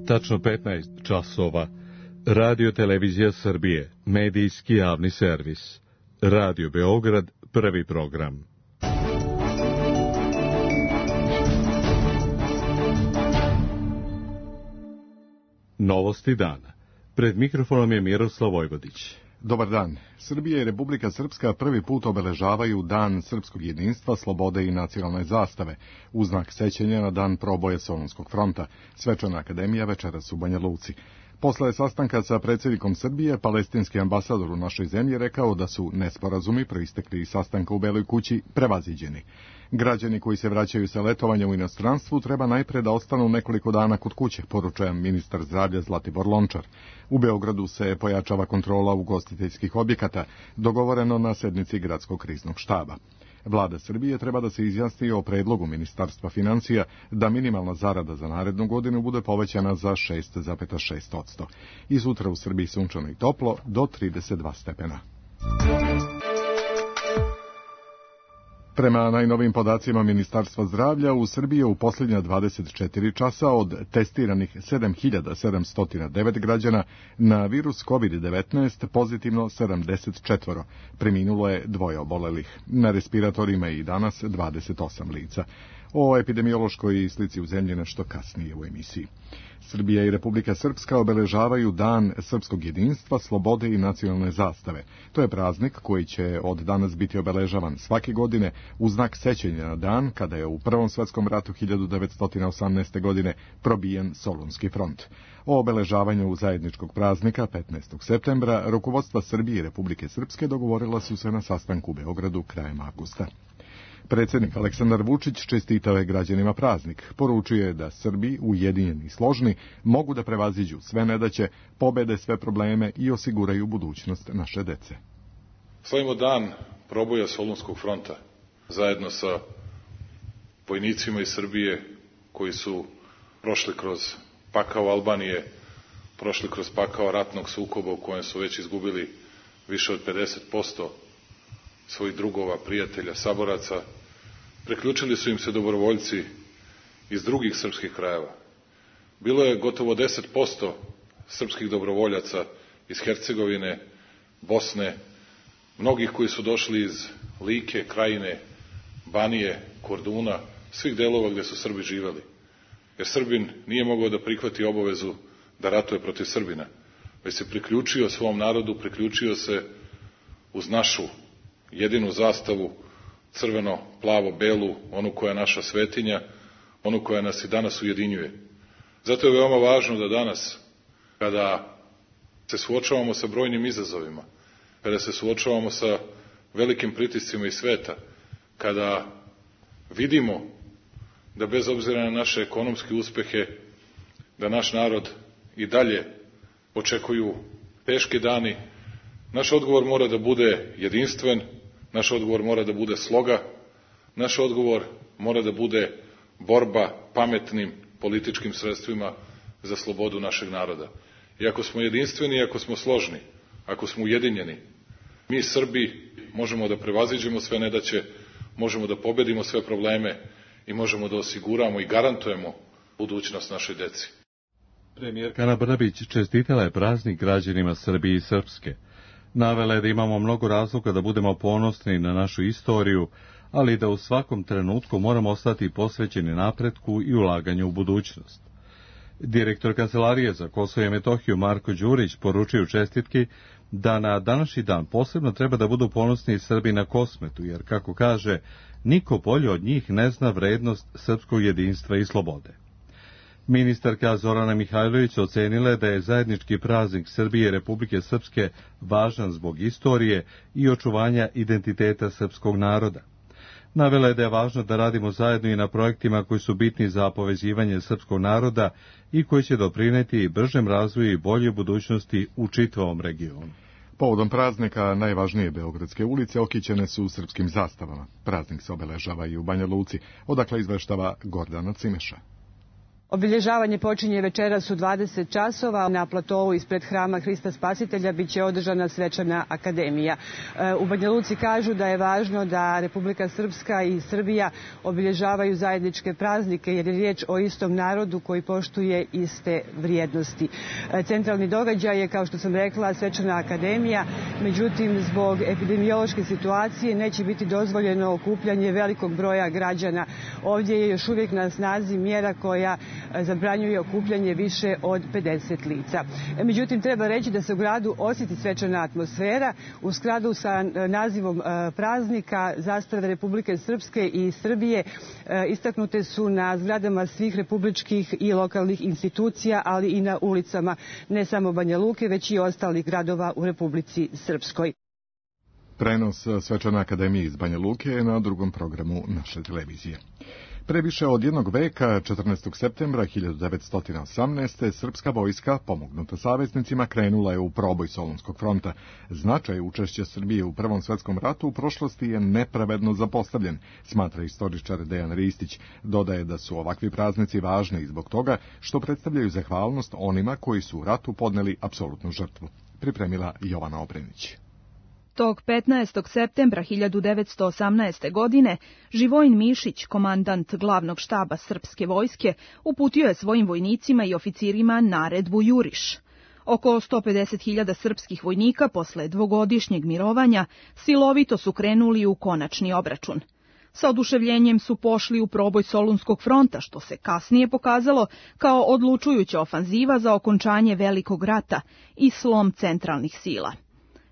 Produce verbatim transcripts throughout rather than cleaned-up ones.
Tačno petnaest časova. Radio Televizija Srbije, medijski javni servis. Radio Beograd, prvi program. Novosti dana. Pred mikrofonom je Miroslav Vojvodić. Dobar dan. Srbija i Republika Srpska prvi put obeležavaju Dan srpskog jedinstva, slobode i nacionalne zastave, u znak sećanja na dan proboja Solunskog fronta. Svečana akademija večeras u Banja Luci. Posle sastanka sa predsjednikom Srbije, palestinski ambasador u našoj zemlji rekao da su nesporazumi proistekli iz sastanka u Beloj kući prevaziđeni. Građani koji se vraćaju sa letovanja u inostranstvu treba najpre da ostanu nekoliko dana kod kuće, poručuje ministar zdravlja Zlatibor Lončar. U Beogradu se pojačava kontrola ugostiteljskih objekata, dogovoreno na sednici gradskog kriznog štaba. Vlada Srbije treba da se izjasni o predlogu Ministarstva financija da minimalna zarada za narednu godinu bude povećana za šest zarez šest posto. I sutra u Srbiji sunčano i toplo do trideset dva stepena. Prema najnovim podacima Ministarstva zdravlja, u Srbiji je u posljednja dvadeset četiri časa od testiranih sedam hiljada sedamsto devet građana na virus kovid devetnaest pozitivno sedamdeset četiri. Preminulo je dvoje obolelih. Na respiratorima je i danas dvadeset osam lica. O epidemiološkoj slici u zemlji nešto kasnije u emisiji. Srbija i Republika Srpska obeležavaju Dan srpskog jedinstva, slobode i nacionalne zastave. To je praznik koji će od danas biti obeležavan svake godine u znak sećanja na dan kada je u Prvom svetskom ratu hiljadu devetsto osamnaeste. godine probijen Solunski front. O obeležavanju zajedničkog praznika petnaestog septembra rukovodstva Srbije i Republike Srpske dogovorila su se na sastanku u Beogradu krajem avgusta. Predsjednik Aleksandar Vučić čestitao je građanima praznik. Poručio je da Srbi, ujedinjeni i složni, mogu da prevaziđu sve nedaće, pobede sve probleme i osiguraju budućnost naše dece. Slavimo dan proboja Solunskog fronta, zajedno sa vojnicima iz Srbije koji su prošli kroz pakao Albanije, prošli kroz pakao ratnog sukoba u kojem su već izgubili više od pedeset posto svojih drugova, prijatelja, saboraca. Priključili su im se dobrovoljci iz drugih srpskih krajeva. Bilo je gotovo deset posto srpskih dobrovoljaca iz Hercegovine, Bosne, mnogih koji su došli iz Like, Krajine, Banije, Korduna, svih delova gde su Srbi živeli. Jer Srbin nije mogao da prihvati obavezu da ratuje protiv Srbina, već se priključio svom narodu, priključio se uz našu jedinu zastavu, crveno, plavo, belu, onu koja je naša svetinja, onu koja nas i danas ujedinjuje. Zato je veoma važno da danas, kada se suočavamo sa brojnim izazovima, kada se suočavamo sa velikim pritiscima iz sveta, kada vidimo da bez obzira na naše ekonomske uspehe, da naš narod i dalje očekuju teški dani, naš odgovor mora da bude jedinstven, naš odgovor mora da bude sloga, naš odgovor mora da bude borba pametnim političkim sredstvima za slobodu našeg naroda. I ako smo jedinstveni, ako smo složni, ako smo ujedinjeni, mi Srbi možemo da prevaziđemo sve nedaće, možemo da pobedimo sve probleme i možemo da osiguramo i garantujemo budućnost našoj deci. Premijerka Ana Brnabić čestitala je praznik građanima Srbije i Srpske. Navela je da imamo mnogo razloga da budemo ponosni na našu istoriju, ali da u svakom trenutku moramo ostati posvećeni napretku i ulaganju u budućnost. Direktor Kancelarije za Kosovo i Metohiju Marko Đurić poručio čestitki da na današnji dan posebno treba da budu ponosni Srbi na Kosmetu, jer, kako kaže, niko bolje od njih ne zna vrednost srpskog jedinstva i slobode. Ministarka Zorana Mihajlović ocenila je da je zajednički praznik Srbije i Republike Srpske važan zbog istorije i očuvanja identiteta srpskog naroda. Navela je da je važno da radimo zajedno i na projektima koji su bitni za povezivanje srpskog naroda i koji će doprineti bržem razvoju i boljoj budućnosti u čitavom regionu. Povodom praznika najvažnije beogradske ulice okićene su srpskim zastavama. Praznik se obeležava i u Banja Luci, odakle izveštava Gordana Cimeša. Obilježavanje počinje večeras u dvadeset časova. Na platovu ispred Hrama Hrista Spasitelja biće održana svečana akademija. U Banja Luci kažu da je važno da Republika Srpska i Srbija obilježavaju zajedničke praznike jer je riječ o istom narodu koji poštuje iste vrijednosti. Centralni događaj je, kao što sam rekla, svečana akademija. Međutim, zbog epidemiološke situacije neće biti dozvoljeno okupljanje velikog broja građana. Ovdje je još uvijek na snazi mjera koja zabranjuje okupljanje više od pedeset lica. Međutim, treba reći da se u gradu osjeti svečana atmosfera. U skladu sa nazivom praznika zastave Republike Srpske i Srbije istaknute su na zgradama svih republičkih i lokalnih institucija, ali i na ulicama ne samo Banja Luke, već i ostalih gradova u Republici Srpskoj. Prenos svečane akademije iz Banja Luke je na drugom programu naše televizije. Pre više od jednog veka, četrnaestog septembra hiljadu devetsto osamnaeste. srpska vojska, pomognuta saveznicima, krenula je u proboj Solunskog fronta. Značaj učešća Srbije u Prvom svetskom ratu u prošlosti je nepravedno zapostavljen, smatra istoričar Dejan Ristić. Dodaje da su ovakvi praznici važni i zbog toga što predstavljaju zahvalnost onima koji su u ratu podneli apsolutnu žrtvu. Pripremila Jovana Obrenić. Tog petnaestog septembra hiljadu devetsto osamnaeste. godine Živojin Mišić, komandant glavnog štaba srpske vojske, uputio je svojim vojnicima i oficirima naredbu Juriš. Oko sto pedeset hiljada srpskih vojnika posle dvogodišnjeg mirovanja silovito su krenuli u konačni obračun. Sa oduševljenjem su pošli u proboj Solunskog fronta, što se kasnije pokazalo kao odlučujuća ofanziva za okončanje Velikog rata i slom centralnih sila.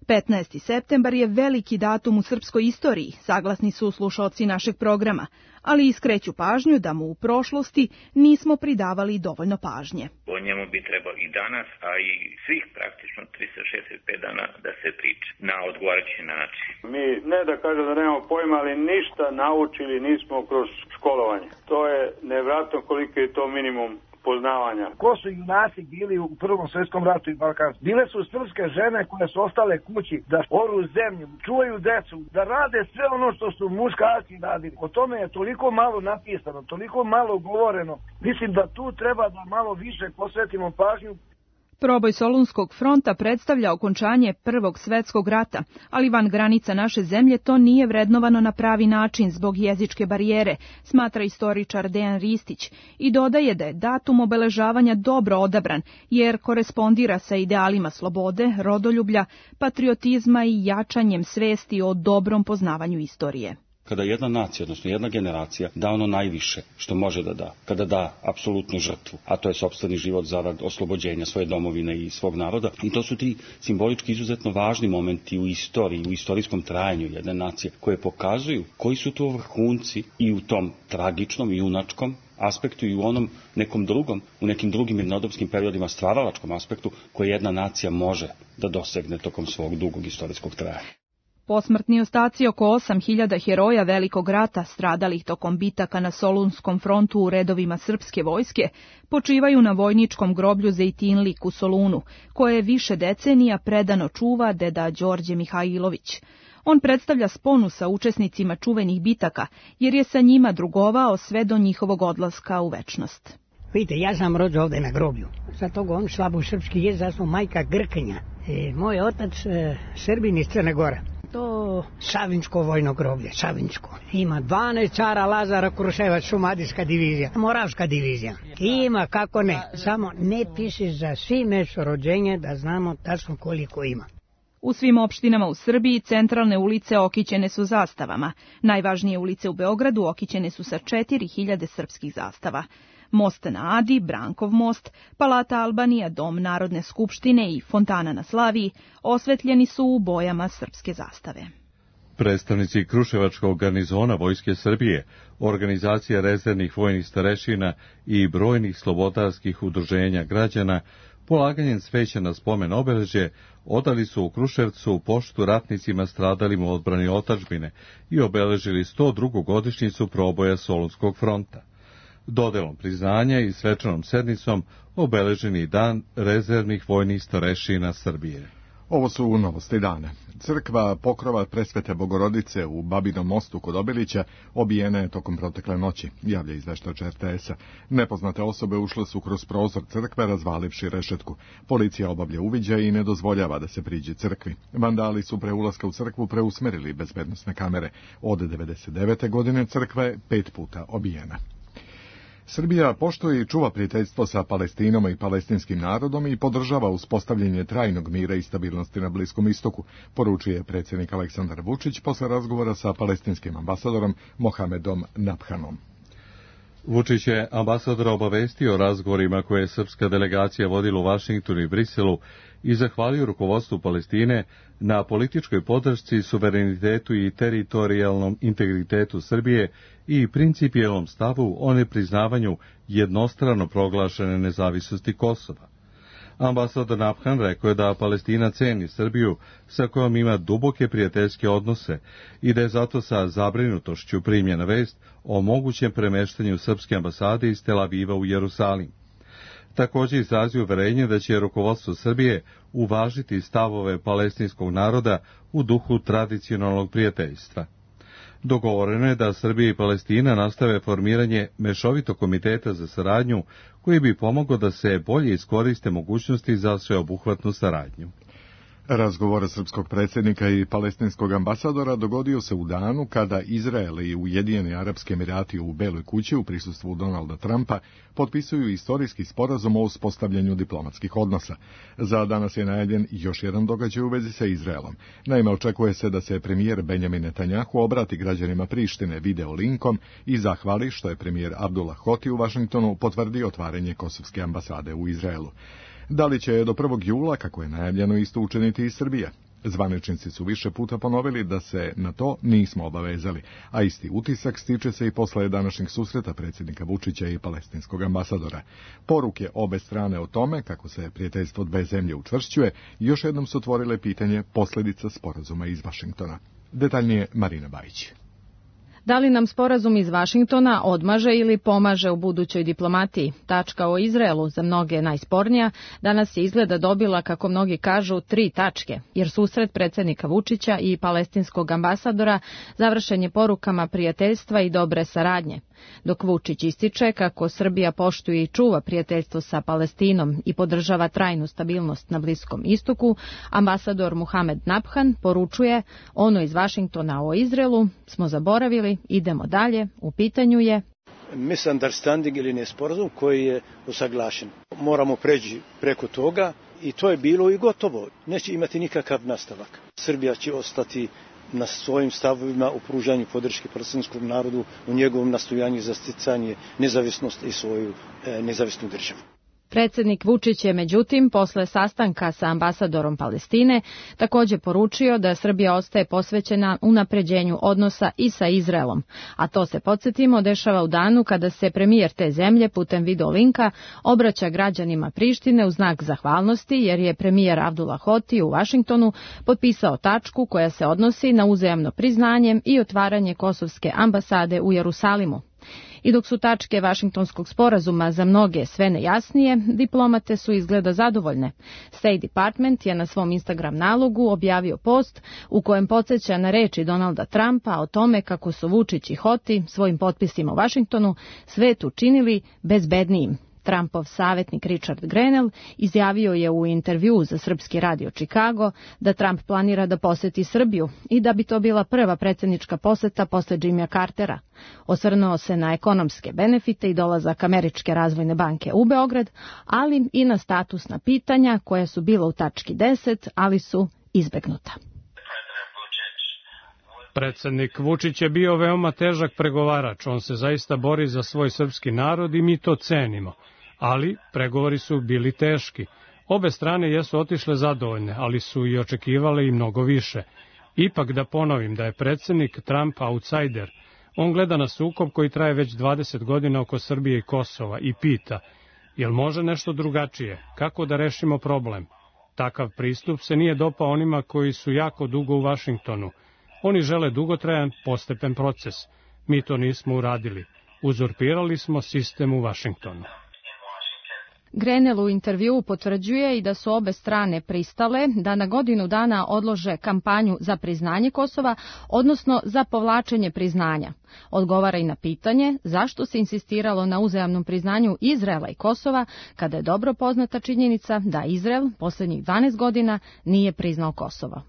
petnaesti septembar je veliki datum u srpskoj istoriji, saglasni su slušaoci našeg programa, ali iskreću pažnju da mu u prošlosti nismo pridavali dovoljno pažnje. O njemu bi trebalo i danas, a i svih praktično tristo šezdeset pet dana da se priča na odgovarajući način. Mi ne da kažem da nemamo pojma, ali ništa naučili nismo kroz školovanje. To je nevjerojatno koliko je to minimum poznavanja. Ko su junaci bili u Prvom svjetskom ratu i Balkanu? Bile su srpske žene koje su ostale kući da oru zemlju, čuvaju decu, da rade sve ono što su muškarci radili. O tome je toliko malo napisano, toliko malo govoreno. Mislim da tu treba da malo više posvetimo pažnju. Proboj Solunskog fronta predstavlja okončanje Prvog svjetskog rata, ali van granica naše zemlje to nije vrednovano na pravi način zbog jezičke barijere, smatra istoričar Dejan Ristić i dodaje da je datum obeležavanja dobro odabran, jer korespondira sa idealima slobode, rodoljublja, patriotizma i jačanjem svesti o dobrom poznavanju istorije. Kada jedna nacija, odnosno jedna generacija, da ono najviše što može da da, kada da apsolutnu žrtvu, a to je sopstveni život zarad oslobođenja svoje domovine i svog naroda, i to su ti simbolički izuzetno važni momenti u istoriji, u istorijskom trajanju jedne nacije, koje pokazuju koji su to vrhunci i u tom tragičnom i junačkom aspektu i u onom nekom drugom, u nekim drugim mirnodopskim periodima stvaralačkom aspektu koje jedna nacija može da dosegne tokom svog dugog istorijskog trajanja. Posmrtni ostaci oko osam hiljada heroja Velikog rata stradalih tokom bitaka na Solunskom frontu u redovima srpske vojske počivaju na vojničkom groblju Zejtinlik u Solunu, koje više decenija predano čuva deda Đorđe Mihajlović. On predstavlja sponu sa učesnicima čuvenih bitaka, jer je sa njima drugovao sve do njihovog odlaska u večnost. Vidite, ja sam rođen ovdje na groblju. Za toga on slabo srpski jezik, ja sam majka Grkinja. E, moj otac e, Srbin iz Crne Gore. To Savinjsko vojno groblje, Savinjsko. Ima dvanaest cara Lazara Kruševac, šumadijska divizija, Moravska divizija. Ima, kako ne. Samo ne piši za svi mjesto rođenje da znamo tačno koliko ima. U svim opštinama u Srbiji centralne ulice okićene su zastavama. Najvažnije ulice u Beogradu okićene su sa četiri hiljade srpskih zastava. Most na Adi, Brankov most, Palata Albanija, Dom Narodne skupštine i Fontana na Slaviji osvetljeni su u bojama srpske zastave. Predstavnici Kruševačkog garnizona Vojske Srbije, organizacije rezervnih vojnih starešina i brojnih slobodarskih udruženja građana polaganjem cveća na spomen obeležje odali su u Kruševcu poštu ratnicima stradalim u odbrani otadžbine i obeležili sto drugu godišnjicu proboja Solunskog fronta. Dodelom priznanja i svečanom sednicom obeleženi dan rezervnih vojnih starešina Srbije. Ovo su novosti dana. Crkva Pokrova Presvete Bogorodice u Babinom mostu kod Obilića obijena je tokom protekle noći, javlja izveštač er te esa. Nepoznate osobe ušle su kroz prozor crkve razvalivši rešetku. Policija obavlja uviđaj i ne dozvoljava da se priđe crkvi. Vandali su pre ulaska u crkvu preusmerili bezbednosne kamere. Od devedeset devete godine crkva je pet puta obijena. Srbija poštuje i čuva prijateljstvo sa Palestinom i palestinskim narodom i podržava uspostavljanje trajnog mira i stabilnosti na Bliskom istoku, poručuje predsjednik Aleksandar Vučić posle razgovora sa palestinskim ambasadorom Mohamedom Nabhanom. Vučić je ambasadora obavestio o razgovorima koje je srpska delegacija vodila u Vašingtonu i Briselu i zahvalio rukovodstvu Palestine na političkoj podršci, suverenitetu i teritorijalnom integritetu Srbije i principijelnom stavu o nepriznavanju jednostrano proglašene nezavisnosti Kosova. Ambasador Nabhan rekao je da Palestina ceni Srbiju sa kojom ima duboke prijateljske odnose i da je zato sa zabrinutošću primljena vest o mogućem premeštanju srpske ambasade iz Tel Aviva u Jerusalim. Također izrazio uverenje da će rukovodstvo Srbije uvažiti stavove palestinskog naroda u duhu tradicionalnog prijateljstva. Dogovoreno je da Srbija i Palestina nastave formiranje mešovitog komiteta za saradnju koji bi pomogao da se bolje iskoriste mogućnosti za sveobuhvatnu saradnju. Razgovor srpskog predsjednika i palestinskog ambasadora dogodio se u danu kada Izrael i Ujedinjeni Arapski Emirati u Beloj kući u prisustvu Donalda Trumpa potpisuju istorijski sporazum o uspostavljanju diplomatskih odnosa. Za danas je najavljen još jedan događaj u vezi sa Izraelom. Naime, očekuje se da se premijer Benjamin Netanjahu obrati građanima Prištine video linkom i zahvali što je premijer Abdullah Hoti u Vašingtonu potvrdio otvaranje kosovske ambasade u Izraelu. Da li će do prvog jula, kako je najavljeno, isto učiniti i Srbija? Zvaničnici su više puta ponovili da se na to nismo obavezali, a isti utisak stiče se i posle današnjeg susreta predsjednika Vučića i palestinskog ambasadora. Poruke obe strane o tome kako se prijateljstvo dve zemlje učvršćuje još jednom su otvorile pitanje posljedica sporazuma iz Vašingtona. Detaljnije Marina Bajić. Da li nam sporazum iz Vašingtona odmaže ili pomaže u budućoj diplomatiji? Tačka o Izraelu, za mnoge najspornija, danas je izgleda dobila, kako mnogi kažu, tri tačke, jer susret predsjednika Vučića i palestinskog ambasadora završen je porukama prijateljstva i dobre saradnje. Dok Vučić ističe kako Srbija poštuje i čuva prijateljstvo sa Palestinom i podržava trajnu stabilnost na Bliskom istoku, ambasador Mohamed Nabhan poručuje ono iz Vašingtona o Izraelu smo zaboravili, idemo dalje, u pitanju je misunderstanding ili nesporazum koji je usaglašen. Moramo preći preko toga i to je bilo i gotovo. Neće imati nikakav nastavak. Srbija će ostati na svojim stavovima u pružanju podrške palestinskom narodu u njegovom nastojanju za sticanje nezavisnosti i svoju e, nezavisnu državu. Predsjednik Vučić je međutim posle sastanka sa ambasadorom Palestine također poručio da Srbija ostaje posvećena unapređenju odnosa i sa Izraelom, a to se podsjetimo dešava u danu kada se premijer te zemlje putem video linka obraća građanima Prištine u znak zahvalnosti jer je premijer Abdullah Hoti u Vašingtonu potpisao tačku koja se odnosi na uzajamno priznanje i otvaranje kosovske ambasade u Jerusalimu. I dok su tačke Vašingtonskog sporazuma za mnoge sve nejasnije, diplomate su izgleda zadovoljne. State Department je na svom Instagram nalogu objavio post u kojem podsjeća na reči Donalda Trumpa o tome kako su Vučić i Hoti svojim potpisima u Vašingtonu svet učinili bezbednijim. Trumpov savjetnik Richard Grenell izjavio je u intervjuu za srpski radio Chicago da Trump planira da poseti Srbiju i da bi to bila prva predsjednička poseta posle Jimmya Cartera. Osvrnuo se na ekonomske benefite i dolazak Američke razvojne banke u Beograd, ali i na statusna pitanja koja su bila u tački deset, ali su izbegnuta. Predsjednik Vučić je bio veoma težak pregovarač, on se zaista bori za svoj srpski narod i mi to cenimo. Ali pregovori su bili teški. Obe strane jesu otišle zadovoljne, ali su i očekivale i mnogo više. Ipak da ponovim da je predsjednik Trump outsider. On gleda na sukob koji traje već dvadeset godina oko Srbije i Kosova i pita, jel može nešto drugačije, kako da rešimo problem? Takav pristup se nije dopao onima koji su jako dugo u Vašingtonu. Oni žele dugotrajan, postepen proces. Mi to nismo uradili. Uzurpirali smo sistem u Vašingtonu. Grenell u intervjuu potvrđuje i da su obe strane pristale da na godinu dana odlože kampanju za priznanje Kosova, odnosno za povlačenje priznanja. Odgovara i na pitanje zašto se insistiralo na uzajamnom priznanju Izraela i Kosova, kada je dobro poznata činjenica da Izrael posljednjih dvanaest godina nije priznao Kosovo.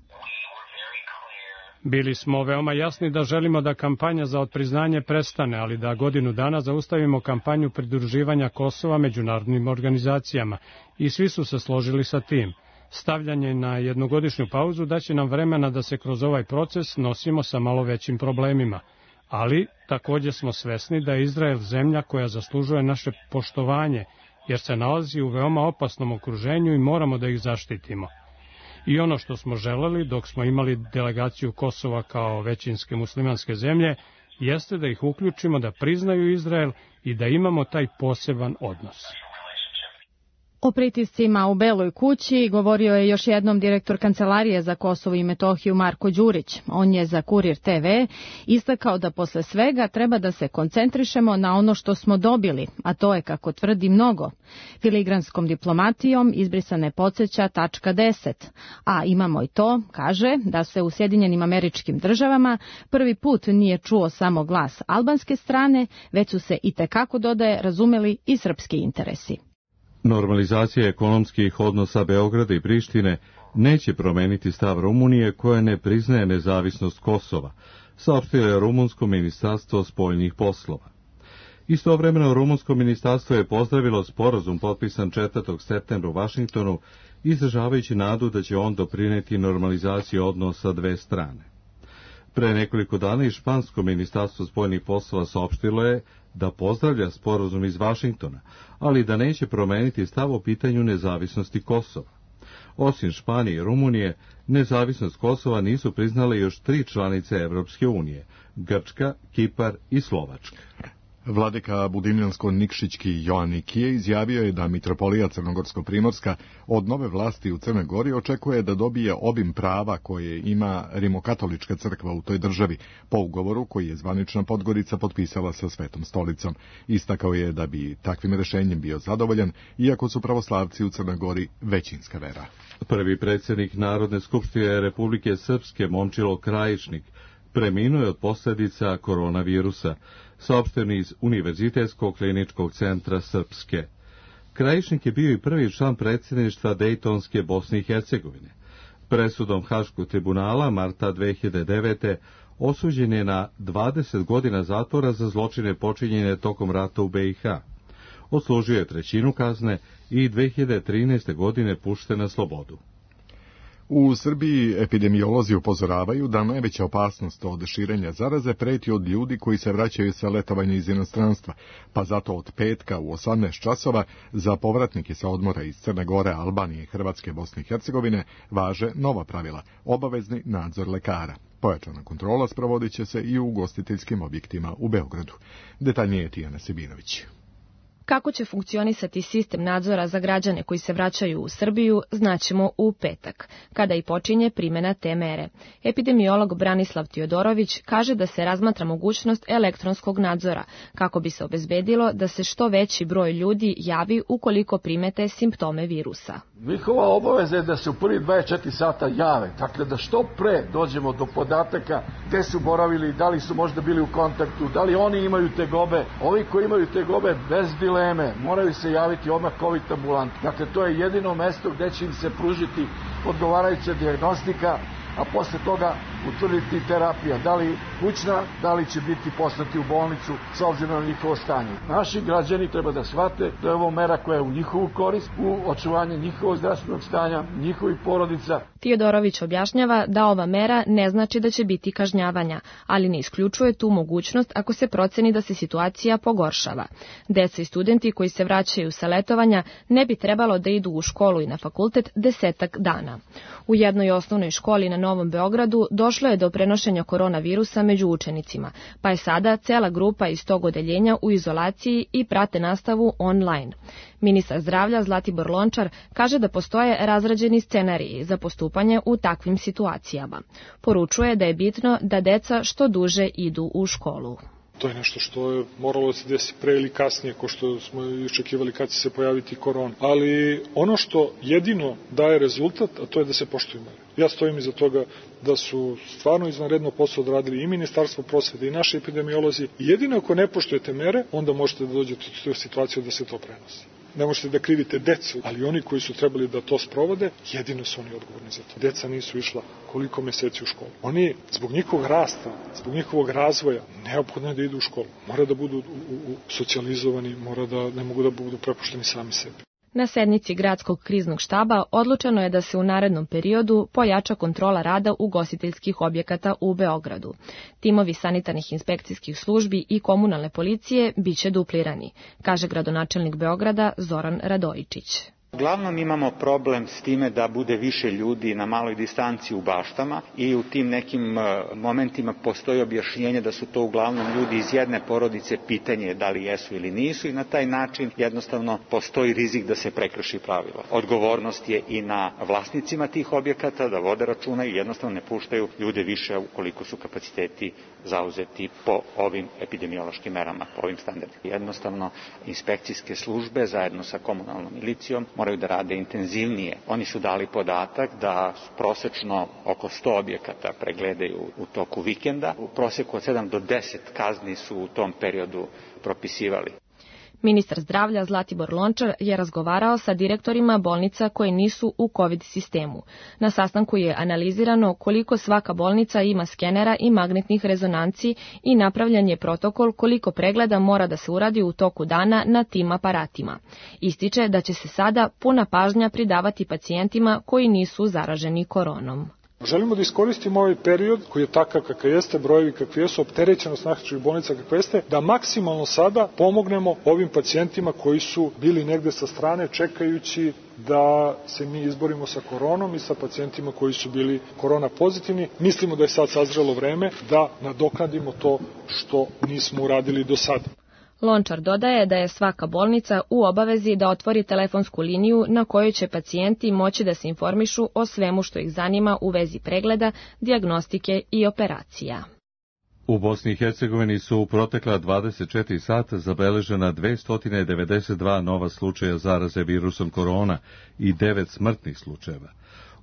Bili smo veoma jasni da želimo da kampanja za otpriznanje prestane, ali da godinu dana zaustavimo kampanju pridruživanja Kosova međunarodnim organizacijama i svi su se složili sa tim. Stavljanje na jednogodišnju pauzu daće nam vremena da se kroz ovaj proces nosimo sa malo većim problemima, ali također smo svesni da je Izrael zemlja koja zaslužuje naše poštovanje, jer se nalazi u veoma opasnom okruženju i moramo da ih zaštitimo. I ono što smo želeli dok smo imali delegaciju Kosova kao većinske muslimanske zemlje, jeste da ih uključimo da priznaju Izrael i da imamo taj poseban odnos. O pritiscima u Beloj kući govorio je još jednom direktor Kancelarije za Kosovo i Metohiju Marko Đurić. On je za Kurir te ve istakao da posle svega treba da se koncentrišemo na ono što smo dobili, a to je, kako tvrdi, mnogo. Filigranskom diplomatijom izbrisane podsjeća tačka deset, a imamo i to, kaže, da se u Sjedinjenim Američkim Državama prvi put nije čuo samo glas albanske strane, već su se itekako, dodaje, razumeli i srpski interesi. Normalizacija ekonomskih odnosa Beograda i Prištine neće promeniti stav Rumunije koja ne priznaje nezavisnost Kosova, saopštilo je rumunsko ministarstvo spoljnih poslova. Istovremeno rumunsko ministarstvo je pozdravilo sporazum potpisan četvrtog septembra u Vašingtonu, izražavajući nadu da će on doprineti normalizaciji odnosa dve strane. Pre nekoliko dana i špansko ministarstvo spoljnih poslova saopštilo je da pozdravlja sporazum iz Vašingtona, ali da neće promeniti stav o pitanju nezavisnosti Kosova. Osim Španije i Rumunije, nezavisnost Kosova nisu priznale još tri članice Evropske unije, Grčka, Kipar i Slovačka. Vladika Budimljansko-Nikšićki Joanikije izjavio je da mitropolija Crnogorsko-Primorska od nove vlasti u Crnoj Gori očekuje da dobije obim prava koje ima Rimokatolička crkva u toj državi, po ugovoru koji je zvanična Podgorica potpisala sa Svetom stolicom. Istakao je da bi takvim rešenjem bio zadovoljan, iako su pravoslavci u Crnoj Gori većinska vera. Prvi predsjednik Narodne skupštine Republike Srpske Momčilo Krajišnik preminuo je od posljedica koronavirusa, saopšteno iz Univerzitetskog kliničkog centra Srpske. Krajišnik je bio i prvi član predsjedništva Dejtonske Bosne i Hercegovine. Presudom Haškog tribunala marta dve hiljade devete. osuđen je na dvadeset godina zatvora za zločine počinjene tokom rata u be i ha. Odslužio je trećinu kazne i dve hiljade trinaeste. godine pušten na slobodu. U Srbiji epidemiolozi upozoravaju da najveća opasnost od širenja zaraze preti od ljudi koji se vraćaju sa letovanja iz inostranstva, pa zato od petka u osamnaest časova za povratnike sa odmora iz Crne Gore, Albanije, Hrvatske, Bosne i Hercegovine važe nova pravila, obavezni nadzor lekara. Pojačana kontrola sprovodit će se i u ugostiteljskim objektima u Beogradu. Detaljnije je Tijana Sebinović. Kako će funkcionisati sistem nadzora za građane koji se vraćaju u Srbiju, znaćemo u petak, kada i počinje primjena te mere. Epidemiolog Branislav Tiodorović kaže da se razmatra mogućnost elektronskog nadzora, kako bi se obezbedilo da se što veći broj ljudi javi ukoliko primete simptome virusa. Njihova obaveza je da se u prvi dvadeset četiri sata jave, dakle da što pre dođemo do podataka gde su boravili, da li su možda bili u kontaktu, da li oni imaju tegobe. Ovi koji imaju tegobe bez dileme moraju se javiti odmah COVID ambulanti. Dakle, to je jedino mesto gde će im se pružiti odgovarajuća dijagnostika, a posle toga utvrditi terapija, da li kućna, da li će biti poslati u bolnicu s obzirom na njihovo stanje. Naši građani treba da shvate da je ovo mera koja je u njihovu korist, u očuvanju njihovog zdravstvenog stanja, njihovih porodica. Tiodorović objašnjava da ova mera ne znači da će biti kažnjavanja, ali ne isključuje tu mogućnost ako se proceni da se situacija pogoršava. Deca i studenti koji se vraćaju sa letovanja ne bi trebalo da idu u školu i na fakultet desetak dana. U jednoj osnovnoj školi na Novom Beogradu došlo je do prenošenja koronavirusa među učenicima, pa je sada cela grupa iz tog odeljenja u izolaciji i prate nastavu online. Ministar zdravlja Zlatibor Lončar kaže da postoje razrađeni scenariji za postupanje u takvim situacijama. Poručuje da je bitno da deca što duže idu u školu. To je nešto što je moralo da se desi pre ili kasnije, ko što smo očekivali kad će se pojaviti korona. Ali ono što jedino daje rezultat, a to je da se poštuju mere. Ja stojim iza toga da su stvarno izvanredno posao odradili i Ministarstvo prosvete i naši epidemiolozi. Jedino ako ne poštujete mere, onda možete da dođete u tu situaciju da se to prenosi. Ne možete da krivite decu, ali oni koji su trebali da to sprovode, jedino su oni odgovorni za to. Deca nisu išla koliko meseci u školu. Oni, zbog njihovog rasta, zbog njihovog razvoja, neophodno je da idu u školu. Mora da budu u, u, socijalizovani, mora da ne mogu da budu prepušteni sami sebi. Na sednici Gradskog kriznog štaba odlučeno je da se u narednom periodu pojača kontrola rada ugostiteljskih objekata u Beogradu. Timovi sanitarnih inspekcijskih službi i komunalne policije biće duplirani, kaže gradonačelnik Beograda Zoran Radojičić. Uglavnom imamo problem s time da bude više ljudi na maloj distanci u baštama i u tim nekim momentima postoji objašnjenje da su to uglavnom ljudi iz jedne porodice, pitanje je da li jesu ili nisu i na taj način jednostavno postoji rizik da se prekrši pravilo. Odgovornost je i na vlasnicima tih objekata da vode računa i jednostavno ne puštaju ljude više ukoliko su kapaciteti zauzeti po ovim epidemiološkim merama, po ovim standardima. Jednostavno inspekcijske službe zajedno sa komunalnom milicijom moraju da rade intenzivnije. Oni su dali podatak da prosečno oko sto objekata pregledaju u toku vikenda. U proseku od sedam do deset kazni su u tom periodu propisivali. Ministar zdravlja Zlatibor Lončar je razgovarao sa direktorima bolnica koje nisu u COVID sistemu. Na sastanku je analizirano koliko svaka bolnica ima skenera i magnetnih rezonanci i napravljen je protokol koliko pregleda mora da se uradi u toku dana na tim aparatima. Ističe da će se sada puna pažnja pridavati pacijentima koji nisu zaraženi koronom. Želimo da iskoristimo ovaj period koji je takav kakav jeste, brojevi kakvi jesu, opterećenost naših bolnica kakva jeste, da maksimalno sada pomognemo ovim pacijentima koji su bili negde sa strane čekajući da se mi izborimo sa koronom i sa pacijentima koji su bili korona pozitivni. Mislimo da je sad sazrelo vreme da nadoknadimo to što nismo uradili do sada. Lončar dodaje da je svaka bolnica u obavezi da otvori telefonsku liniju na kojoj će pacijenti moći da se informišu o svemu što ih zanima u vezi pregleda, dijagnostike i operacija. U Bosni i Hercegovini su u protekla dvadeset četiri sata zabeležena dvesta devedeset dva nova slučaja zaraze virusom korona i devet smrtnih slučajeva.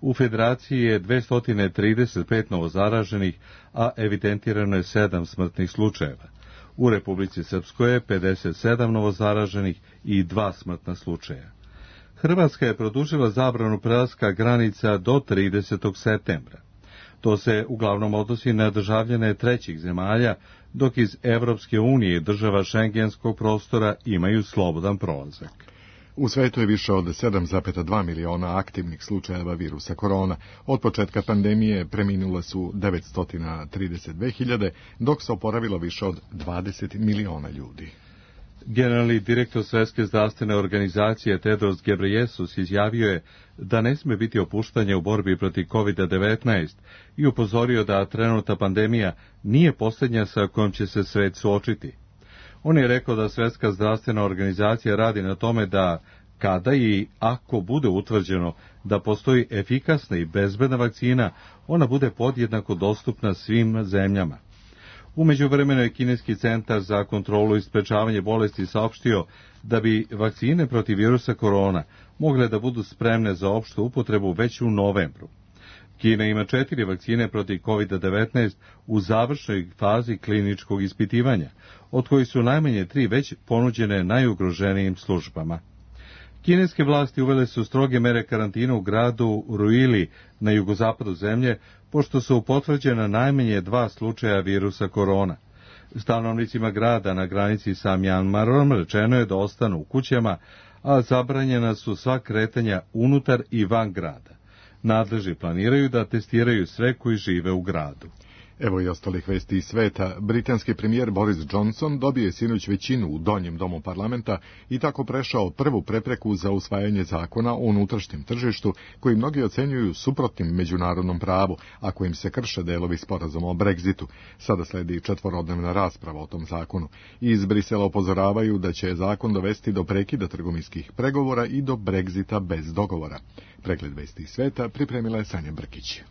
U Federaciji je dvesta trideset pet novozaraženih, a evidentirano je sedam smrtnih slučajeva. U Republici Srpskoj je pedeset sedam novozaraženih i dva smrtna slučaja. Hrvatska je produžila zabranu prelaska granica do tridesetog septembra. To se uglavnom odnosi na državljane trećih zemalja, dok iz Evropske unije i država šengenskog prostora imaju slobodan prolazak. U svetu je više od sedam zarez dva miliona aktivnih slučajeva virusa korona. Od početka pandemije preminule su devetsto trideset dve hiljade, dok se oporavilo više od dvadeset miliona ljudi. Generalni direktor Svetske zdravstvene organizacije Tedros Ghebreyesus izjavio je da ne sme biti opuštanja u borbi protiv kovid devetnaest i upozorio da trenutna pandemija nije posljednja sa kojom će se svet suočiti. On je rekao da Svetska zdravstvena organizacija radi na tome da, kada i ako bude utvrđeno da postoji efikasna i bezbedna vakcina, ona bude podjednako dostupna svim zemljama. U međuvremenu je Kineski centar za kontrolu i sprečavanje bolesti saopštio da bi vakcine protiv virusa korona mogle da budu spremne za opštu upotrebu već u novembru. Kina ima četiri vakcine protiv kovid devetnaest u završnoj fazi kliničkog ispitivanja, od kojih su najmanje tri već ponuđene najugroženijim službama. Kineske vlasti uvele su stroge mere karantina u gradu Ruili na jugozapadu zemlje, pošto su potvrđena najmanje dva slučaja virusa korona. Stanovnicima grada na granici sa Mjanmarom rečeno je da ostanu u kućama, a zabranjena su sva kretanja unutar i van grada. Nadležni planiraju da testiraju sve koji žive u gradu. Evo i ostalih vesti iz sveta. Britanski premijer Boris Johnson dobio je sinoć većinu u donjem domu parlamenta i tako prešao prvu prepreku za usvajanje zakona o unutrašnjem tržištu, koji mnogi ocenjuju suprotnim međunarodnom pravu, a kojim se krše delovi sporazuma o Brexitu. Sada sledi četvorodnevna rasprava o tom zakonu. Iz Brisela upozoravaju da će zakon dovesti do prekida trgovinskih pregovora i do Brexita bez dogovora. Pregled vesti iz sveta pripremila je Sanja Brkić.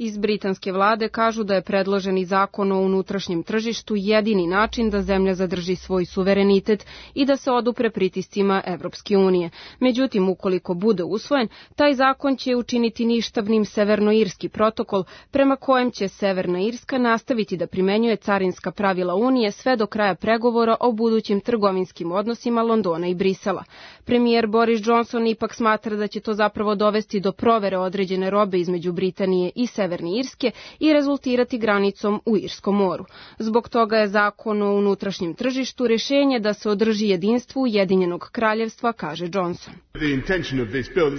Iz britanske vlade kažu da je predloženi zakon o unutrašnjem tržištu jedini način da zemlja zadrži svoj suverenitet i da se odupre pritiscima Evropske unije. Međutim, ukoliko bude usvojen, taj zakon će učiniti ništavnim Severnoirski protokol prema kojem će Severna Irska nastaviti da primenjuje carinska pravila Unije sve do kraja pregovora o budućim trgovinskim odnosima Londona i Brisela. Premijer Boris Johnson ipak smatra da će to zapravo dovesti do provere određene robe između Britanije i Severne Irske i rezultirati granicom u Irskom moru. Zbog toga je zakon o unutrašnjem tržištu rješenje da se održi jedinstvo Ujedinjenog kraljevstva, kaže Johnson.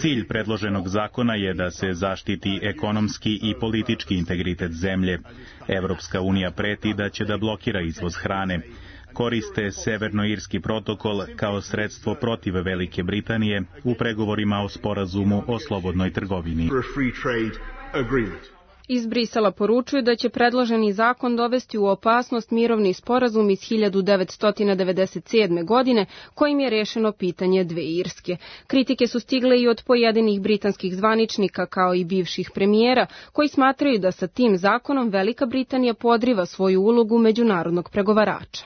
Cilj predloženog zakona je da se zaštiti ekonomski i politički integritet zemlje. Evropska unija preti da će da blokira izvoz hrane. Koriste Severnoirski protokol kao sredstvo protiv Velike Britanije u pregovorima o sporazumu o slobodnoj trgovini. Iz Brisela poručuju da će predloženi zakon dovesti u opasnost mirovni sporazum iz hiljadu devetsto devedeset sedme. godine kojim je rešeno pitanje dve Irske. Kritike su stigle i od pojedinih britanskih zvaničnika kao i bivših premijera koji smatraju da sa tim zakonom Velika Britanija podriva svoju ulogu međunarodnog pregovarača.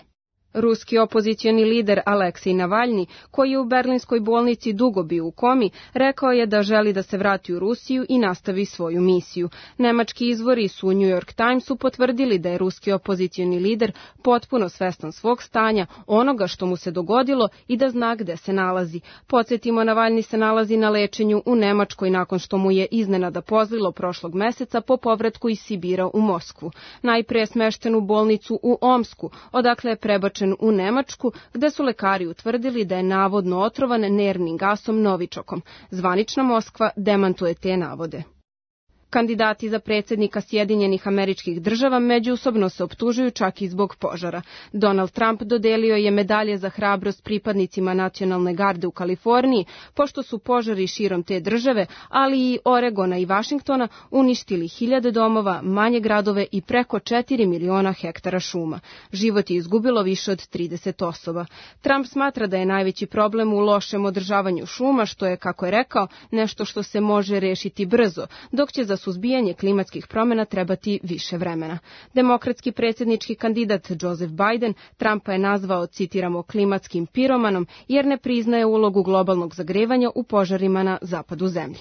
Ruski opozicioni lider Aleksej Navalni, koji je u berlinskoj bolnici dugo bio u komi, rekao je da želi da se vrati u Rusiju i nastavi svoju misiju. Nemački izvori su u New York Timesu potvrdili da je ruski opozicioni lider potpuno svestan svog stanja, onoga što mu se dogodilo i da zna gde se nalazi. Podsjetimo, Navalni se nalazi na lečenju u Nemačkoj nakon što mu je iznenada pozlilo prošlog meseca po povratku iz Sibira u Moskvu. Najpre je smešten u bolnicu u Omsku, odakle je prebačen u Nemačku, gde su lekari utvrdili da je navodno otrovan nervnim gasom novičokom. Zvanična Moskva demantuje te navode. Kandidati za predsjednika Sjedinjenih Američkih Država međusobno se optužuju čak i zbog požara. Donald Trump dodelio je medalje za hrabrost pripadnicima nacionalne garde u Kaliforniji, pošto su požari širom te države, ali i Oregona i Vašingtona uništili hiljade domova, manje gradove i preko četiri miliona hektara šuma. Život je izgubilo više od trideset osoba. Trump smatra da je najveći problem u lošem održavanju šuma, što je, kako je rekao, nešto što se može rešiti brzo, dok će za suzbijanje klimatskih promjena trebati više vremena. Demokratski predsjednički kandidat Joseph Biden Trumpa je nazvao, citiramo, klimatskim piromanom jer ne priznaje ulogu globalnog zagrevanja u požarima na zapadu zemlje.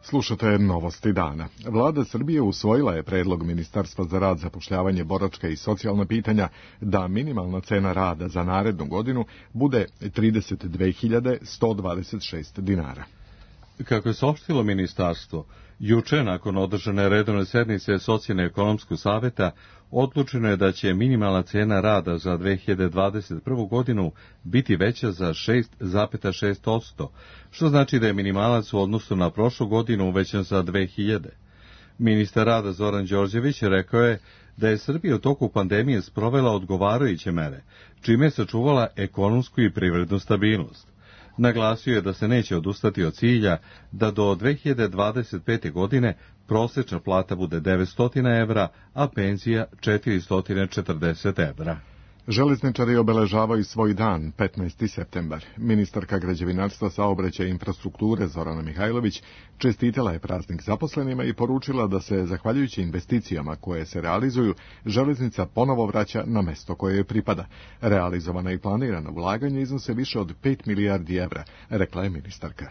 Slušate novosti dana. Vlada Srbije usvojila je predlog Ministarstva za rad, zapošljavanje, boračka i socijalna pitanja da minimalna cena rada za narednu godinu bude trideset dve hiljade sto dvadeset šest dinara. Kako je saopštilo ministarstvo, juče nakon održane redovne sednice Socijalno-ekonomskog saveta odlučeno je da će minimalna cena rada za dve hiljade dvadeset prvu. godinu biti veća za šest zarez šest posto, što znači da je minimalac u odnosu na prošlu godinu uvećan za dve hiljade. Ministar rada Zoran Đorđević rekao je da je Srbija u toku pandemije sprovela odgovarajuće mere, čime je sačuvala ekonomsku i privrednu stabilnost. Naglasio je da se neće odustati od cilja da do dve hiljade dvadeset pete. godine prosječna plata bude devetsto evra, a penzija četiristo četrdeset evra. Železničari obeležavaju svoj dan, petnaesti septembar. Ministarka građevinarstva, saobraćaja i infrastrukture Zorana Mihajlović čestitala je praznik zaposlenima i poručila da se, zahvaljujući investicijama koje se realizuju, železnica ponovo vraća na mesto koje joj pripada. Realizovana i planirana ulaganja iznose više od pet milijardi evra, rekla je ministarka.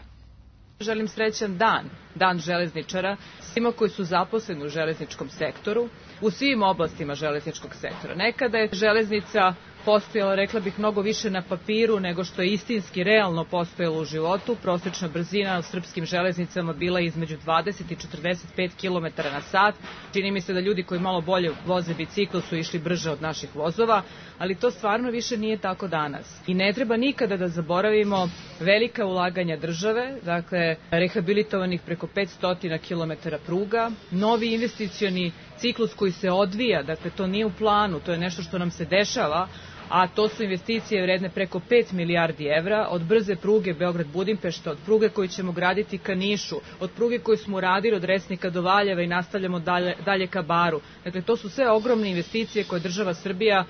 Želim srećan dan, dan železničara, svima koji su zaposleni u železničkom sektoru, u svim oblastima železničkog sektora. Nekada je železnica postojala, rekla bih, mnogo više na papiru nego što je istinski realno postojalo u životu. Prosječna brzina u srpskim železnicama bila između dvadeset i četrdeset pet kilometara na sat. Čini mi se da ljudi koji malo bolje voze bicikl su išli brže od naših vozova, ali to stvarno više nije tako danas. I ne treba nikada da zaboravimo velika ulaganja države, dakle rehabilitovanih preko petsto kilometara pruga, novi investicioni ciklus koji se odvija, dakle to nije u planu, to je nešto što nam se dešava, a to su investicije vredne preko pet milijardi evra, od brze pruge Beograd-Budimpešta, od pruge koju ćemo graditi ka Nišu, od pruge koju smo radili od Resnika do Valjeva i nastavljamo dalje, dalje ka Baru. Dakle, to su sve ogromne investicije koje država Srbija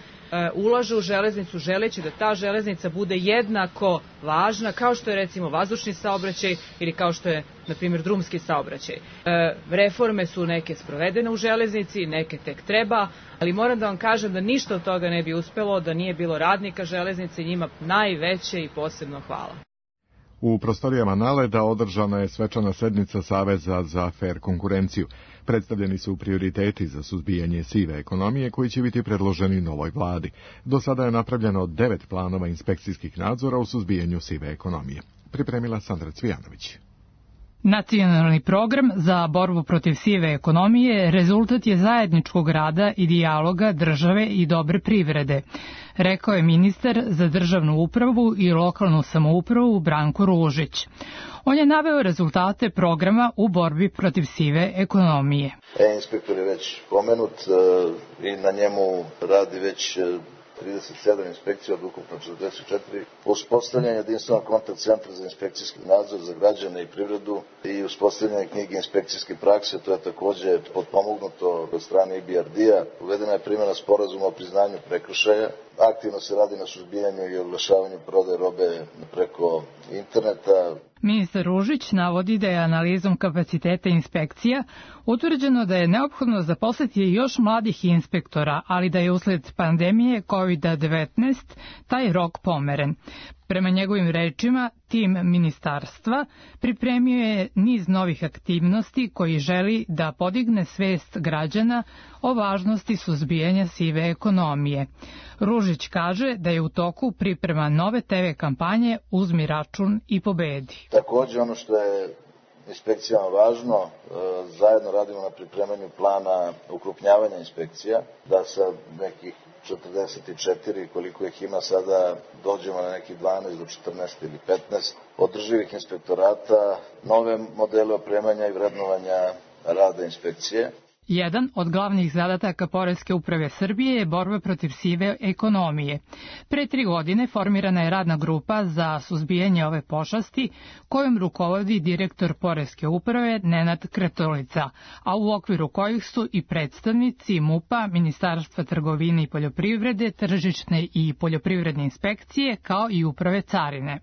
ulaže u železnicu želeći da ta železnica bude jednako važna kao što je recimo vazdušni saobraćaj ili kao što je, na primjer, drumski saobraćaj. Reforme su neke sprovedene u železnici, neke tek treba, ali moram da vam kažem da ništa od toga ne bi uspelo da nije bilo radnika železnice, njima najveće i posebno hvala. U prostorijama Naleda održana je svečana sednica Saveza za fer konkurenciju. Predstavljeni su prioriteti za suzbijanje sive ekonomije koji će biti predloženi novoj vladi. Do sada je napravljeno devet planova inspekcijskih nadzora u suzbijanju sive ekonomije. Pripremila Sandra Cvijanović. Nacionalni program za borbu protiv sive ekonomije rezultat je zajedničkog rada i dijaloga države i dobre privrede, rekao je ministar za državnu upravu i lokalnu samoupravu Branko Ružić. On je naveo rezultate programa u borbi protiv sive ekonomije. E-inspektor je već pomenut i na njemu radi već trideset sedam inspekcija od ukupno četrdeset četiri, uspostavljanje jedinstvenog kontakt centra za inspekcijski nadzor za građane i privredu i uspostavljanje knjige inspekcijske prakse, to je takođe potpomognuto od strane I B R D-a. Uvedena je primjena sporazuma o priznanju prekršaja, aktivno se radi na suzbijanju i oglašavanju prodaje robe preko interneta. Ministar Ružić navodi da je analizom kapaciteta inspekcija utvrđeno da je neophodno zaposliti još mladih inspektora, ali da je usled pandemije kovid devetnaest taj rok pomeren. Prema njegovim rečima, tim ministarstva pripremio je niz novih aktivnosti koji želi da podigne svest građana o važnosti suzbijanja sive ekonomije. Ružić kaže da je u toku priprema nove te ve kampanje Uzmi račun i pobedi. Takođe, ono što je inspekcijama važno, zajedno radimo na pripremanju plana ukrupnjavanja inspekcija, da sa nekih četrdeset četiri, koliko ih ima sada, dođemo na nekih dvanaest do četrnaest ili petnaest održivih inspektorata, nove modele opremanja i vrednovanja rada inspekcije. Jedan od glavnih zadataka Poreske uprave Srbije je borba protiv sive ekonomije. Pre tri godine formirana je radna grupa za suzbijanje ove pošasti, kojom rukovodi direktor Poreske uprave Nenad Kretolica, a u okviru kojih su i predstavnici MUP-a, Ministarstva trgovine i poljoprivrede, tržišne i poljoprivredne inspekcije, kao i uprave carine.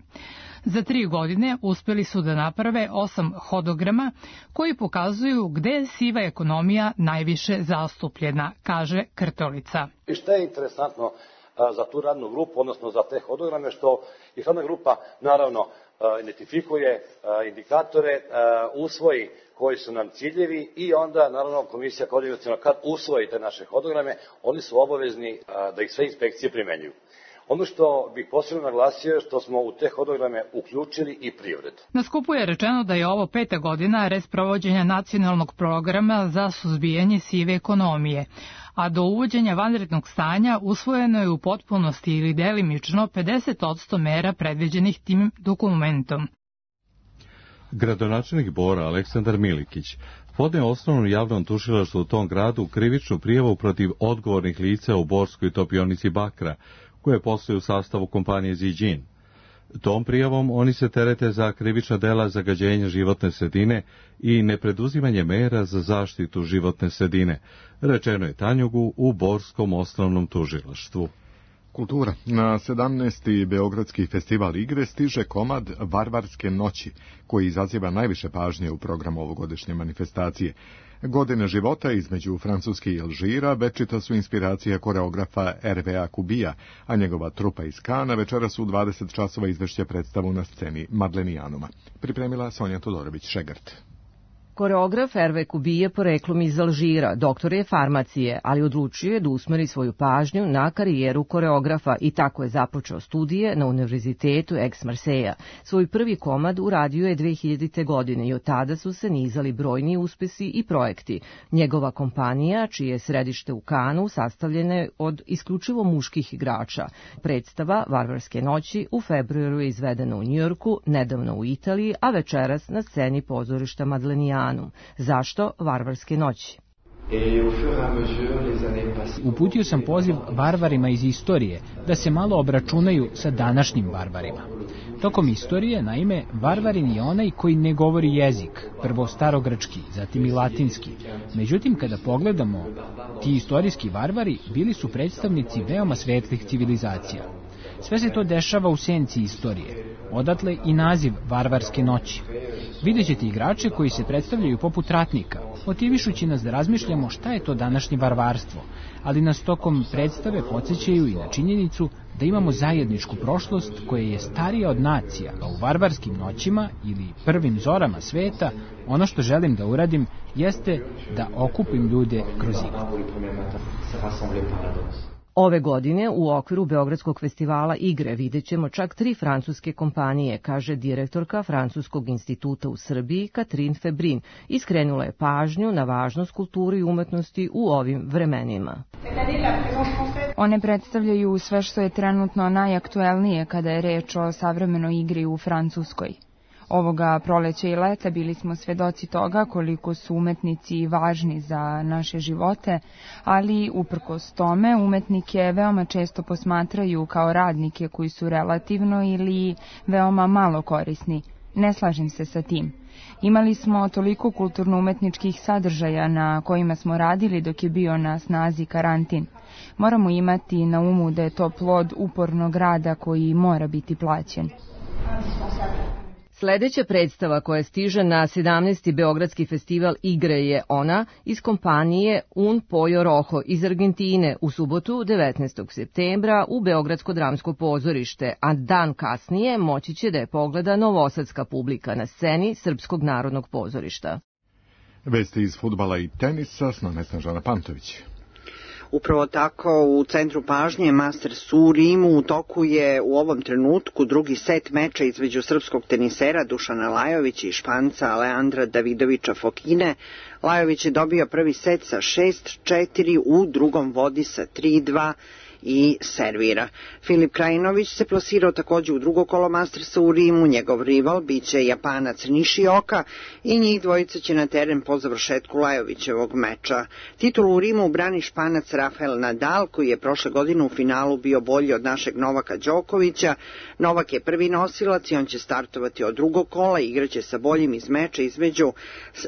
Za tri godine uspeli su da naprave osam hodograma koji pokazuju gde je siva ekonomija najviše zastupljena, kaže Krtolica. I šta je interesantno za tu radnu grupu, odnosno za te hodograme, što ih radna grupa naravno identifikuje indikatore, usvoji koji su nam ciljevi i onda naravno komisija koordinaciona kad usvoji te naše hodograme, oni su obavezni da ih sve inspekcije primenjuju. Ono što bih posebno naglasio je što smo u te hodograme uključili i privredu. Na skupu je rečeno da je ovo peta godina resprovođenja nacionalnog programa za suzbijanje sive ekonomije, a do uvođenja vanrednog stanja usvojeno je u potpunosti ili delimično pedeset posto mera predviđenih tim dokumentom. Gradonačelnik Bora Aleksandar Milikić podneo osnovnom javnom tužilaštvu u tom gradu krivičnu prijavu protiv odgovornih lica u Borskoj topionici bakra, koje postoje u sastavu kompanije Ziđin. Tom prijavom oni se terete za krivična dela zagađenja životne sredine i nepreduzimanje mera za zaštitu životne sredine, rečeno je Tanjugu u Borskom osnovnom tužilaštvu. Kultura. Na sedamnaesti Beogradski festival igre stiže komad Varvarske noći, koji izaziva najviše pažnje u programu ovogodišnje manifestacije. Godine života između Francuske i Alžira večita su inspiracija koreografa Hervea Kubija, a njegova trupa iz Kana večeras u dvadeset časova izvešće predstavu na sceni Madlenijanuma. Pripremila Sonja Todorović-Šegart. Koreograf Herve Kubije poreklom iz Alžira, doktor je farmacije, ali odlučio je da usmeri svoju pažnju na karijeru koreografa i tako je započeo studije na Univerzitetu Aix-Marseilla. Svoj prvi komad uradio je dve hiljadite. godine i od tada su se nizali brojni uspesi i projekti. Njegova kompanija, čije je središte u Kanu, sastavljena je od isključivo muških igrača. Predstava Varvarske noći u februaru je izvedena u Njujorku, nedavno u Italiji, a večeras na sceni pozorišta Madlenijana. Zašto Varvarske noći? Uputio sam poziv varvarima iz istorije da se malo obračunaju sa današnjim varvarima. Tokom istorije, naime, varvarin je onaj koji ne govori jezik, prvo starogrčki, zatim i latinski. Međutim, kada pogledamo, ti istorijski varvari bili su predstavnici veoma svetlih civilizacija. Sve se to dešava u senci istorije, odatle i naziv varvarske noći. Vidjet ćete igrače koji se predstavljaju poput ratnika, motivišući nas da razmišljamo šta je to današnje varvarstvo, ali nas tokom predstave podsjećaju i na činjenicu da imamo zajedničku prošlost koja je starija od nacija, a u varvarskim noćima ili prvim zorama sveta ono što želim da uradim jeste da okupim ljude kroz igru. Ove godine u okviru Beogradskog festivala igre vidjet ćemo čak tri francuske kompanije, kaže direktorka Francuskog instituta u Srbiji Katrin Febrin i skrenula je pažnju na važnost kulture i umetnosti u ovim vremenima. One predstavljaju sve što je trenutno najaktuelnije kada je reč o savremenoj igri u Francuskoj. Ovoga proleća i leta bili smo svedoci toga koliko su umetnici važni za naše živote, ali uprkos tome umetnike veoma često posmatraju kao radnike koji su relativno ili veoma malo korisni. Ne slažem se sa tim. Imali smo toliko kulturno-umetničkih sadržaja na kojima smo radili dok je bio na snazi karantin. Moramo imati na umu da je to plod upornog rada koji mora biti plaćen. Sledeća predstava koja stiže na sedamnaesti Beogradski festival igre je ona iz kompanije Un Pollo Rojo iz Argentine u subotu devetnaestog septembra u Beogradsko dramsko pozorište, a dan kasnije moći će da je pogleda novosadska publika na sceni Srpskog narodnog pozorišta. Vesti iz fudbala i tenisa s nama Snežana Pantović. Upravo tako, u centru pažnje Masters u Rimu u toku je u ovom trenutku drugi set meča između srpskog tenisera Dušana Lajovića i Španca Aleandra Davidovića Fokine. Lajović je dobio prvi set sa šest četiri, u drugom vodi sa tri dva i servira. Filip Krajinović se plasirao također u drugo kolo Mastersa u Rimu, njegov rival biće Japanac Nishioka i njih dvojica će na teren po završetku Lajovićevog meča. Titulu u Rimu brani Španac Rafael Nadal, koji je prošle godine u finalu bio bolji od našeg Novaka Đokovića. Novak je prvi nosilac i on će startovati od drugog kola i igraće sa boljim iz meča između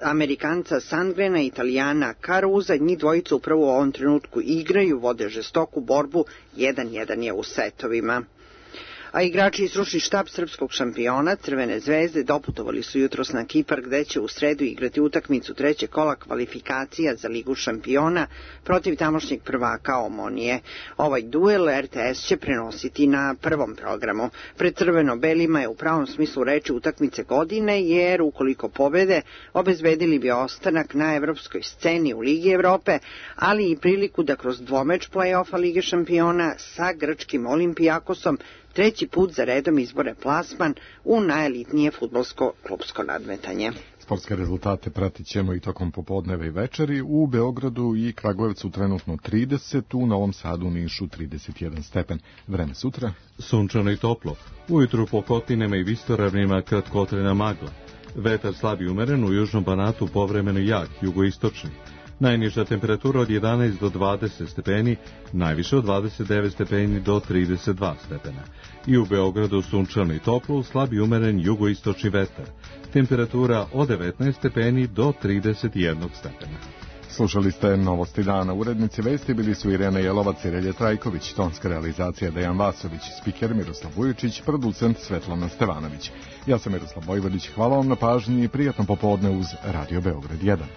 Amerikanca Sandgrena i Italijana Caruza. Njih dvojica upravo u ovom trenutku igraju, vode žestoku borbu, jedan jedan je u setovima. A igrači iz stručni štab srpskog šampiona Crvene zvezde doputovali su jutros na Kipar, gde će u sredu igrati utakmicu trećeg kola kvalifikacija za Ligu šampiona protiv tamošnjeg prvaka Omonije. Ovaj duel R T S će prenositi na prvom programu. Pred crveno-belima je u pravom smislu reči utakmice godine, jer ukoliko pobede, obezbedili bi ostanak na evropskoj sceni u Ligi Evrope, ali i priliku da kroz dvomeč play-offa Lige šampiona sa grčkim Olimpijakosom treći put za redom izbore plasman u najelitnije fudbalsko klubsko nadmetanje. Sportske rezultate pratit ćemo i tokom popodneva i večeri. U Beogradu i Kragujevcu trenutno trideset, u Novom Sadu, Nišu trideset jedan stepen. Vreme sutra? Sunčano i toplo. Ujutru po Kotinama i vistoravnima kratkotrajna magla. Vetar slab i umeren, u južnom Banatu povremeno jak, jugoistočni. Najniža temperatura od jedanaest do dvadeset stepeni, najviše od dvadeset devet stepeni do trideset dva stepena. I u Beogradu sunčano i toplo, slab i umeren jugoistočni vetar. Temperatura od devetnaest stepeni do trideset jedan stepena. Slušali ste Novosti dana. Urednici vesti bili su Irena Jelovac i Relje Trajković, tonska realizacija Dejan Vasović, spiker Miroslav Vujičić, producent Svetlana Stevanović. Ja sam Miroslav Vojvodić, hvala vam na pažnji i prijatno popodne uz Radio Beograd jedan.